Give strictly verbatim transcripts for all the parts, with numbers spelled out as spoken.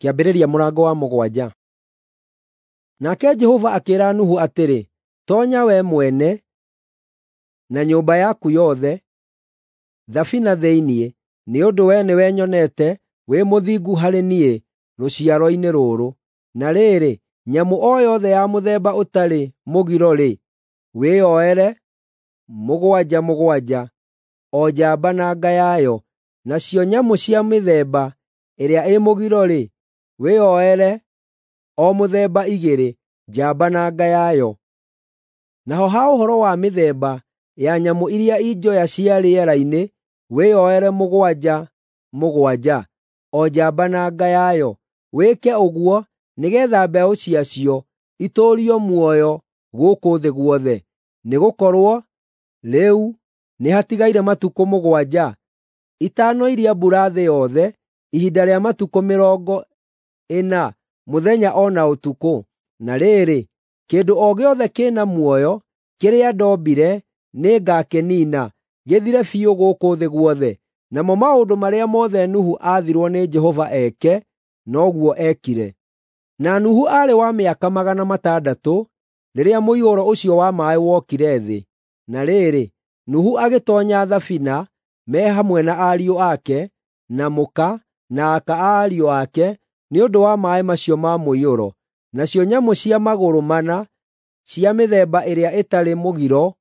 Kĩambĩrĩria mũrango wa mũgwanja. Nake Jehova akĩĩra Nuhu atĩrĩ, “Toonya wee mwene na nyũmba yaku yothe thabina thĩinĩ, nĩ ũndũ wee nĩwe nyonete wĩ mũthingu harĩ niĩ rũciaro-inĩ rũrũ. Na rĩrĩ, nyamũ o yothe ya mũthemba ũtarĩ mũgiro-rĩ, wĩyoere mũgwanja mũgwanja, o njamba na nga yayo; nacio nyamũ cia mĩthemba ĩrĩa ĩ mũgiro-rĩ, wĩyoere o mũthemba igĩrĩ, njamba na nga yayo. Naho ha ũhoro wa mĩthemba ya nyamũ iria i njoya cia rĩera-inĩ, wĩyoere mũgwanja mũgwanja, o njamba na nga yayo. Wĩke ũguo nĩgeetha mbeũ ciacio itũũrio muoyo gũkũ thĩ guothe. Nĩgũkorwo rĩu nĩhatigaire matukũ mũgwanja itanoiria mbura thĩ yothe ihinda rĩa matukũ mĩrongo ĩna mũthenya o na ũtukũ. Na rĩrĩ, kĩndũ o gĩothe kĩ na muoyo kĩrĩa ndombire nĩngakĩniina, gĩthire biũ gũkũ thĩ guothe.” Namo maũndũ marĩa mothe Nuhu aathirwo nĩ Jehova eke, noguo eekire. Na Nuhu aarĩ wa mĩaka magana matandatũ rĩrĩa mũiyũro ũcio wa maaĩ wokire thĩ. Na rĩrĩ, Nuhu agĩtoonya thabina me hamwe na ariũ ake, na mũka, na aka a ariũ ake, nĩ ũndũ wa maaĩ macio ma mũiyũro. Nacio nyamũ cia magũrũ mana cia mĩthemba ĩrĩa ĩtarĩ mũgiro,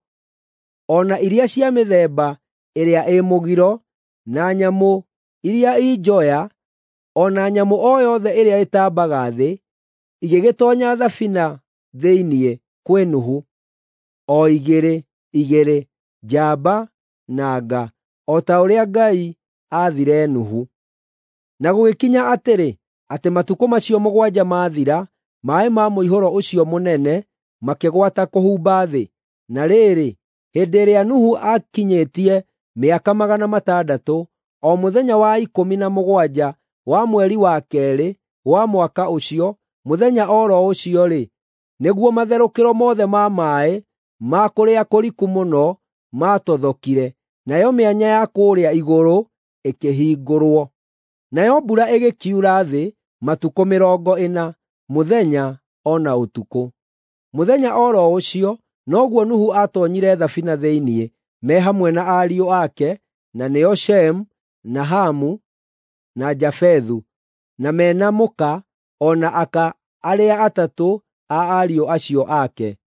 o na iria cia mĩthemba ĩrĩa ĩ mũgiro, na nyamũ iria i njoya, o na nyamũ o yothe ĩrĩa ĩtambaga thĩ, igĩgĩtoonya thabina thĩinĩ kwĩ Nuhu, o igĩrĩ igĩrĩ, njamba na nga, o ta ũrĩa Ngai aathire Nuhu. Na gũgĩkinya atĩrĩ, atĩ matukũ macio mũgwanja maathira, maaĩ ma mũihũro ũcio mũnene makĩgwata kũhumba thĩ. Na rĩrĩ, hĩndĩ ĩrĩa Nuhu aakinyĩtie mĩaka magana matandatũ, o mũthenya wa ikũmi na mũgwanja wa mweri wa keerĩ wa mwaka ũcio, mũthenya o ro ũcio-rĩ, nĩguo matherũkĩro mothe ma maaĩ ma kũrĩa kũriku mũno maatothokire, nayo mĩanya ya kũũrĩa igũrũ ĩkĩhingũrwo. Nayo mbura ĩgĩkiura thĩ matukũ mĩrongo ĩna, mũthenya o na ũtukũ. Mũthenya o ro ũcio noguo Nuhu aatoonyire thabina thĩinĩ, me hamwe na ariũ ake, na nĩo Shemu, na Hamu, na Jafethu, na me na mũka o na aka arĩa atatũ a ariũ acio ake.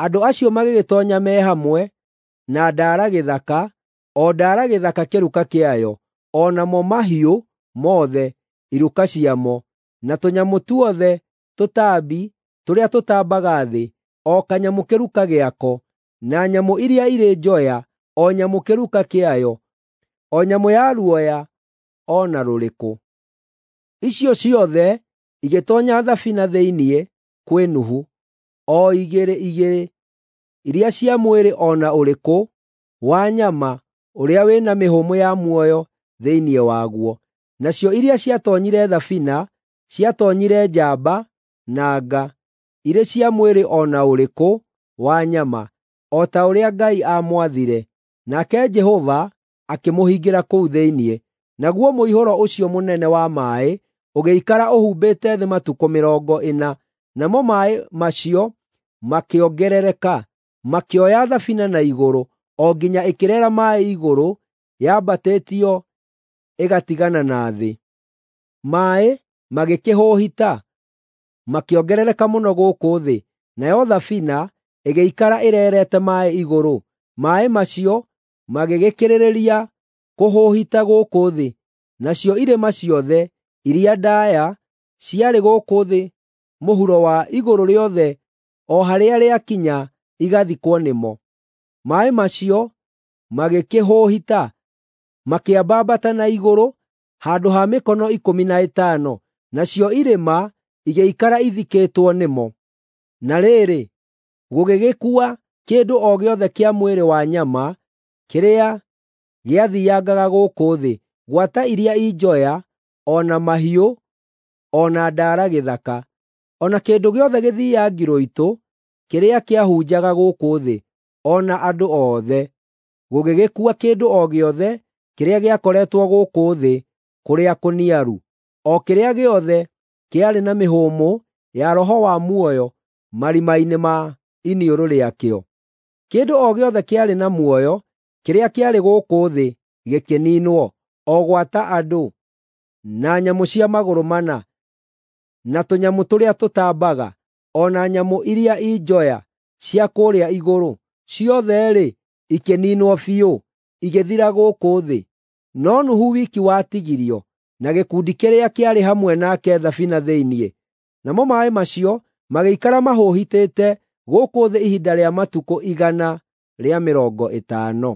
Andũ acio magĩgĩtoonya me hamwe na ndaara gĩthaka, o ndaara gĩthaka kĩruka kĩayo, o namo mahiũ mothe iruka ciamo, na tũnyamũ tuothe tũtambi tũrĩa tũtambaga thĩ, o kanyamũ kĩruka gĩako, na nyamũ iria irĩ njoya, o nyamũ kĩruka kĩayo, o nyamũ ya ruoya o na rũrĩkũ. Icio ciothe igĩtoonya thabina thĩinĩ kwĩ Nuhu, o igĩrĩ igĩrĩ, iria cia mwĩrĩ o na ũrĩkũ wa nyama ũrĩa wĩ na mĩhũmũ ya muoyo thĩinĩ waguo. Nacio iria ciatoonyire thabina ciatoonyire njamba na nga, irĩ cia mwĩrĩ o na ũrĩkũ wa nyama, o ta ũrĩa Ngai aamwathire. Nake Jehova akĩmũhingĩra kũu thĩinĩ. Naguo mũihũro ũcio mũnene wa maaĩ ũgĩikara ũhumbĩte thĩ matukũ mĩrongo ĩna, namo maaĩ macio makĩongerereka, makĩoya thabina na igũrũ, o nginya ĩkĩreera maaĩ igũrũ yambatĩtio ĩgatigana na thĩ. Maaĩ magĩkĩhũhita, makĩongerereka mũno gũkũ thĩ, nayo thabina ĩgĩikara ĩreerete maaĩ igũrũ. Maaĩ macio magĩgĩkĩrĩrĩria kũhũhita gũkũ thĩ, nacio irĩma ciothe iria ndaaya ciarĩ gũkũ thĩ mũhuro wa igũrũ rĩothe o harĩa rĩakinya igathikwo nĩmo. Maaĩ macio magĩkĩhũhita, makĩambambata na igũrũ handũ ha mĩkono ikũmi na ĩtano, nacio irĩma igĩikara ithikĩtwo nĩmo. Na rĩrĩ, gũgĩgĩkua kĩndũ o gĩothe kĩa mwĩrĩ wa nyama kĩrĩa gĩathiangaga gũkũ thĩ, gwata iria i njoya, o na mahiũ, o na ndaara gĩthaka, o na kĩndũ gĩothe gĩthiangirũitũ kĩrĩa kĩahunjaga gũkũ thĩ, o na andũ othe. Gũgĩgĩkua kĩndũ o gĩothe kĩrĩa gĩakoretwo gũkũ thĩ kũrĩa kũniaru. o kĩrĩa gĩothe kĩarĩ na mĩhũmũ ya roho wa muoyo marima-inĩ ma iniũrũ rĩakĩo. Kĩndũ o gĩothe kĩarĩ na muoyo kĩrĩa kĩarĩ gũkũ thĩ gĩkĩniinwo, o gwata andũ, na nyamũ cia magũrũ mana, na tũnyamũ tũrĩa tũtambaga, o na nyamũ iria i njoya cia kũrĩa igũrũ, ciothe-rĩ, ikĩniinwo biũ, igĩthira gũkũ thĩ. No Nuhu wiki watigirio, na gĩkundi kĩrĩa kĩarĩ hamwe nake thabina thĩinĩ. Namo maaĩ macio magĩikara mahũhitĩte gũkũ thĩ ihinda rĩa matukũ igana rĩa mĩrongo ĩtano.